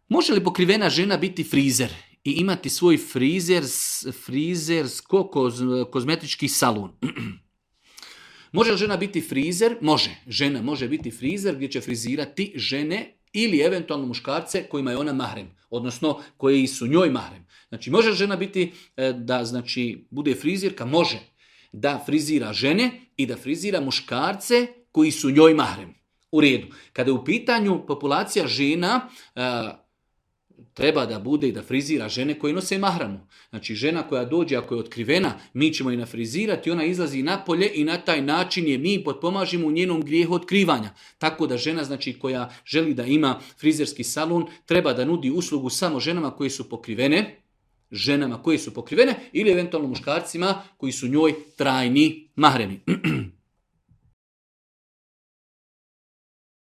Može li pokrivena žena biti frizer i imati svoj kozmetički salon? Može li žena biti frizer? Može. Žena može biti frizer gdje će frizirati žene ili eventualno muškarce kojima je ona mahrem, odnosno koji su njoj mahrem. Znači, može li žena biti da bude frizirka? Može. Da frizira žene i da frizira muškarce koji su njoj mahrem. U redu. Kada je u pitanju populacija žena, treba da bude i da frizira žene koje nose mahramu. Znači, žena koja dođe, ako je otkrivena, mi ćemo je nafrizirati, ona izlazi napolje i na taj način je mi potpomažimo u njenom grijehu otkrivanja. Tako da žena, koja želi da ima frizerski salon, treba da nudi uslugu samo ženama koje su pokrivene, ili eventualno muškarcima koji su njoj trajni mahremi.